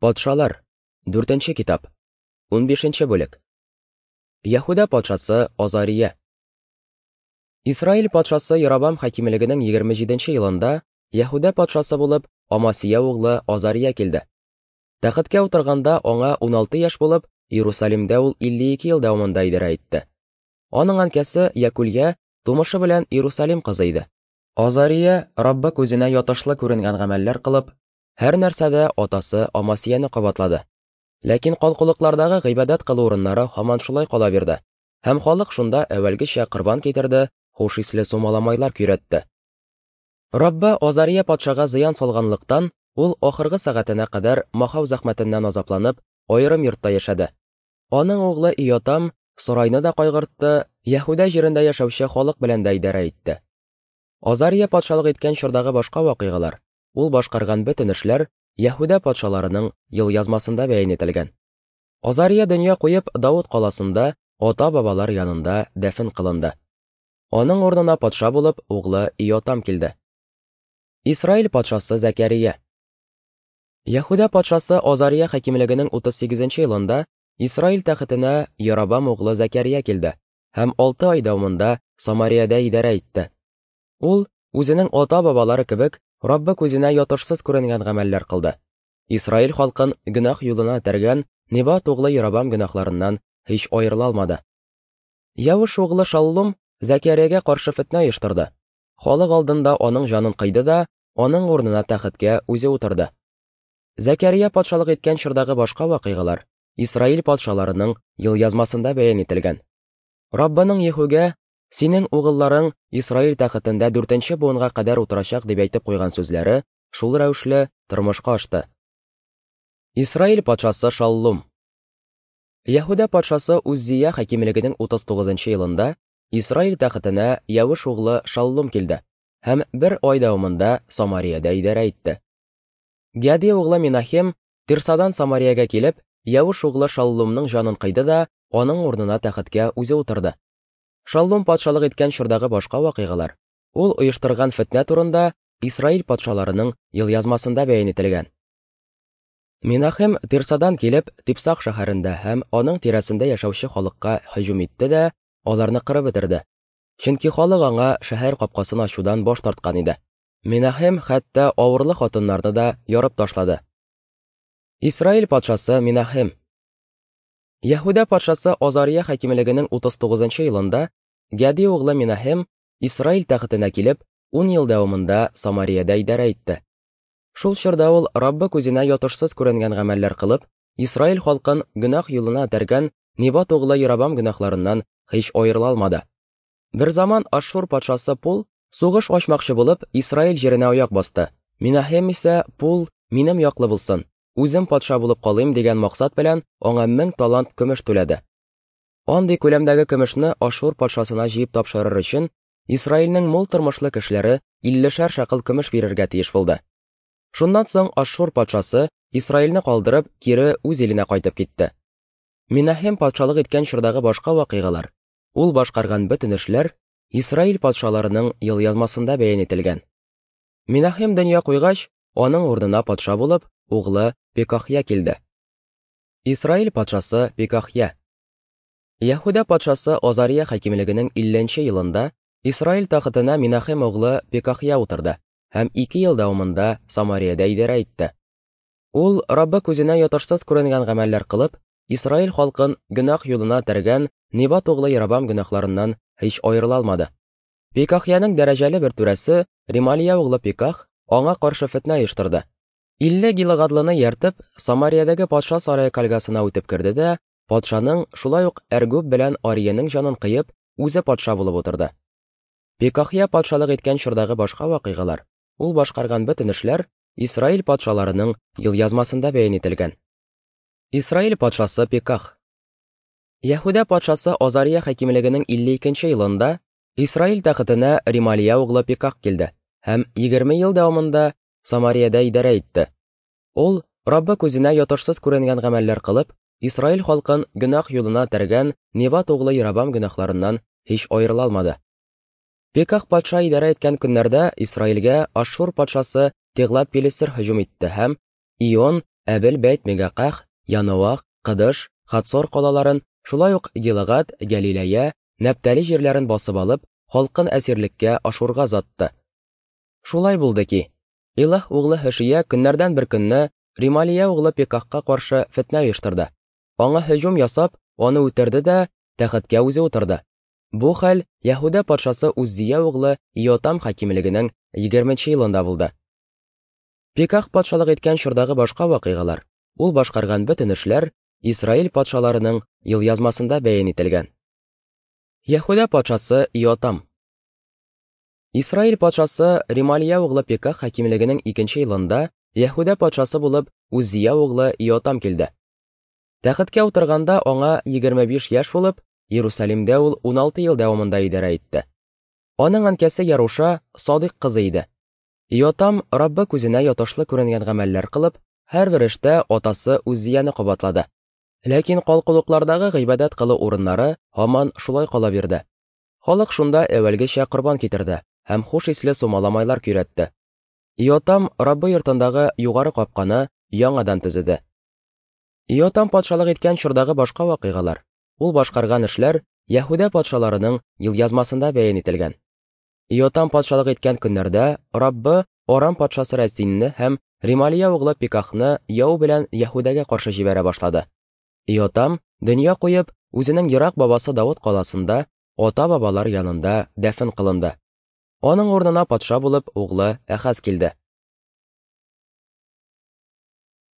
Патшалар, 4 китап, 15 бүлек. Яһүдә патшасы Азария. Исраил патшасы Яробам хакимлегенең 27 елында Яһүдә патшасы булып Амасия углы Азария килде. Тәхеткә утырганда аңа 16 яшь булып, Иерусалимдә ул 52 ел дәвамында идарә итте. Аның әнкәсе Якулья тумышы белән Иерусалим кызы иде. Азария Раббы күзенә ятышлы күренгән гамәлләр кылып, һәр нәрсәдә атасы Амасияне кабатлады. Ләкин калкулыклардагы гыйбадәт кылу урыннары һаман шулай кала бирде. Һәм халык шунда әүвәлгечә корбан китерде, хуш исле сумаламайлар көйрәтте. Раббы Азария патшага зыян салганлыктан, ул ахыргы сәгатенә кадәр махау зәхмәтеннән азапланып, аерым йортта яшәде. Аның углы Иотам сарайны да кайгыртты, Яһүдә җирендә яшәүче халык белән дә идарә итте. Азария патшалык иткән чордагы башка вакыйгалар, ул башкарган бөтен эшләр Яһүдә патшаларының елъязмасында бәян ителгән. Азария дөнья куеп, Давыт каласында ата-бабалар янында дәфен кылынды. Аның урынына патша булып углы Иотам килде. Исраил патшасы Зәкәрия. Яһүдә патшасы Азария хакимлегенең 38 елында Исраил тәхетенә Яробам углы Зәкәрия килде һәм 6 ай дәвамында Самариядә идарә итте. Ул үзенең ата-бабалары кебек Раббы күзенә ятышсыз күренгән гамәлләр кылды. Исраил халкын гөнаһ юлына этәргән Небат углы Яробам гөнаһларыннан һич аерыла алмады. Явыш углы Шаллум Зәкәриягә каршы фетнә оештырды. Халык алдында аның җанын кыйды да, аның урынына тәхеткә үзе утырды. Зәкәрия патшалык иткән чордагы башка вакыйгалар Исраил патшаларының елъязмасында бәян ителгән. Раббының Ехугә "Синең угылларың Исраил тәхетендә 4нче буынга кадәр утырачак" дип әйтеп куйган сүзләре шул рәвешле тормышка ашты. Исраил патшасы Шаллум. Яһүдә патшасы Уззия хакимлегенең 39 елында Исраил тәхетенә Явыш углы Шаллум килде һәм бер ай дәвамында Самариядә идарә итте. Гади углы Минахем Тирсадан Самариягә килеп, Явыш углы Шаллумның җанын кыйды да, аның урынына тәхеткә үзе утырды. Шаллум патшалык иткән чордагы башка вакыйгалар, ул оештырган фетнә турында Исраил патшаларының елъязмасында бәян ителгән. Минахем Тирсадан килеп, Типсах шәһәрендә һәм аның тирәсендә яшәүче халыкка һөҗүм итте дә, аларны кырып бетерде. Чөнки халык аңа шәһәр капкасын ачудан баш тарткан иде. Минахем хәтта авырлы хатыннарны да ярып ташлады. Исраил патшасы Минахем. Яһүдә патшасы Азария хакимлегенең 39 елында Гади углы Минахем Исраил тәхетенә килеп, 10 ел дәвамында Самариядә идарә итте. Шул чорда ул Раббы күзенә ятышсыз күренгән гамәлләр кылып, Исраил халкын гөнаһ юлына этәргән Небат углы Яробам гөнаһларыннан һич аерыла алмады. Бер заман Ашшур патшасы Пул сугыш ачмакчы булып, Исраил җиренә аяк басты. Минахем исә Пул минем яклы булсын, үзем патша булып калыйм дигән максат белән аңа 1000 талант көмеш түләде. Андый күләмдәге көмешне Ашшур патшасына җыеп тапшырыр өчен Исраилнең мул тормышлы кешеләре 50 шәкел көмеш бирергә тиеш булды. Шуннан соң Ашшур патшасы Исраилне калдырып, кире үз иленә кайтып китте. Минахем патшалык иткән чордагы башка вакыйгалар, ул башкарган бөтен эшләр Исраил патшаларының елъязмасында бәян ителгән. Минахем дөнья куйгач, аның урынына патша булып, углы Пекахья килде. Исраил патшасы Пекахья. Яһүдә патшасы Азария хакимлегенең 50 елында Исраил тәхетенә Минахем углы Пекахья утырды һәм 2 ел дәвамында Самариядә идарә итте. Ул Раббы күзенә ятышсыз күренгән гамәлләр кылып, Исраил халкын гөнаһ юлына этәргән Небат углы Яробам гөнаһларыннан һич аерыла алмады. Пекахьяның дәрәҗәле бер түрәсе Ремалия углы Пеках аңа каршы фетнә оештырды. 50 гилагадлыны ияртеп, Самариядәге патша сарае кальгасына үтеп керде дә, патшаның шулай ук Әргүб белән Ариянең җанын кыеп, үзе патша булып утырды. Пекахья патшалык иткән чордагы башка вакыйгалар, ул башкарган бөтен эшләр Исраил патшаларының елъязмасында бәян ителгән. Исраил патшасы Пеках. Яһүдә патшасы Азария хакимлегенең 52 елында Исраил тәхетенә Ремалия углы Пеках килде һәм 20 ел дәвамында Самариядә идарә итте. Ул Раббы күзенә ятышсыз күренгән гамәлләр кылып, Исраил халкын гөнаһ юлына этәргән Небат углы Яробам гөнаһларыннан һич аерыла алмады. Пеках патша идарә иткән көннәрдә Исраилгә Ашшур патшасы Теглат-Пилесер һөҗүм итте һәм Ион, Әбел-Бәйт-Мегаках, Яноах, Кыдыш, Хацор калаларын, шулай ук Гилыгад, Гәлиләя, Нәптали җирләрен басып алып, халкын әсирлеккә Ашурга озатты. Шулай булды ки, Илаһ углы Һөшия көннәрдән бер көнне Рималия углы Пекахка каршы фетнә оештырды. Аңа һөҗүм ясап, аны үтерде дә, тәхеткә үзе утырды. Бу хәл Яһүдә патшасы Уззия углы Иотам хакимлегенең 20 елында булды. Пеках патшалык иткән чордагы башка вакыйгалар, ул башкарган бөтен эшләр Исраил патшаларының елъязмасында бәян ителгән. Яһүдә патшасы Иотам. Исраил патшасы Ремалия углы Пеках хакимлегенең икенче елында Яһүдә патшасы булып Уззия углы Иотам килде. Тәхеткә утырганда аңа 25 яшь булып, Иерусалимдә ул 16 ел дәвамында идарә итте. Аның әнкәсе Яруша Садыйк кызы иде. Иотам Раббы күзенә ятышлы күренгән гамәлләр кылып, һәрбер эштә атасы Уззияне кабатлады. Ләкин калкулыклардагы гыйбадәт кылу урыннары һаман шулай кала бирде. Халык шунда әүвәлгечә корбан китерде һәм хуш исле сумаламайлар көйрәтте. Иотам Раббы йортындагы югары капканы яңадан төзеде. Иотам патшалык иткән чордагы башка вакыйгалар, ул башкарган эшләр Яһүдә патшаларының елъязмасында бәян ителгән. Иотам патшалык иткән көннәрдә Раббы Арам патшасы Рәсинне һәм Рималия углы Пикахны яу белән Яһүдәгә каршы җибәрә башлады. Иотам, дөнья куеп, үзенең ерак бабасы Давыт каласында ата-бабалар янында дәфен кылынды. Аның урынына патша булып углы Әхаз килде.